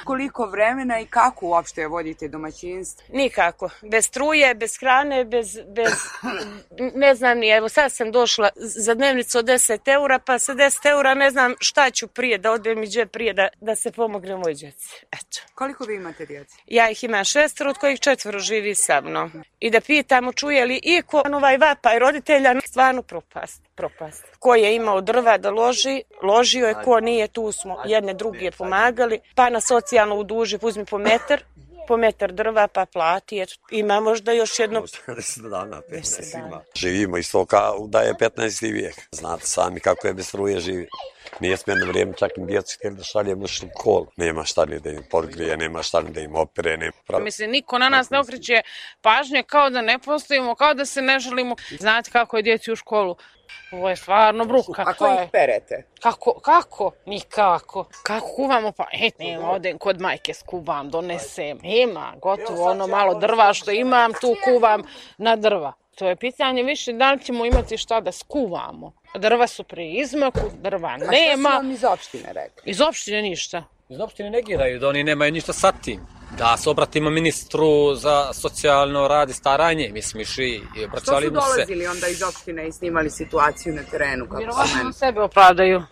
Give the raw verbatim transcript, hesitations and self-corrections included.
Koliko vremena i kako uopšte vodite domaćinstvo? Nikako. Bez struje, bez hrane, bez, bez ne znam ni, evo sad sam došla za dnevnicu od deset eura, pa sa deset eura ne znam šta ću prije, da odbijem i džep prije da, da se pomogne moj djeci. Eto. Koliko vi imate djeci? Ja ih imam šestero, od kojih četvoro živi sa mnom. I da pitamo čuje li iko ovaj vapaj roditelja, stvarno propast, propast. Ko je imao drva da loži, ložio je, ko nije, tu smo jedne druge pomagali, pa na socijalno uduži, uzmi po metar, po metar drva pa plati, eto, ima možda još jedno... deset dana, petnaest ima. Živimo isto kao da je petnaesti vijek. Znate sami kako je bez struje živi. Nije smjerno vrijeme, čak i djecu htjeli da šaljemo u školu. Nema šta ni da im podgrije, nema šta ni da im opere. Nema pravi. Mislim, niko na nas ne okreće pažnje kao da ne postojimo, kao da se ne želimo. Znate kako je djeci u školu? Ovo je stvarno bruka. Kako ih perete? Kako? Kako? Nikako. Kako kuvamo? Pa, et, nema, odem kod majke skuvam, donesem. Nema, gotovo, ono malo drva što imam, tu kuvam na drva. To je pitanje više da li ćemo imati šta da skuvamo. Drva su pri izmaku, drva nema. A šta su vam iz opštine rekli? Iz opštine ništa. Iz opštine negiraju da oni nemaju ništa sa tim. Da se obratimo ministru za socijalno rad i staranje, mi smo išli i obraćali mu se. Što su dolazili onda iz opštine i snimali situaciju na terenu? Vjerovatno sebe opravdaju.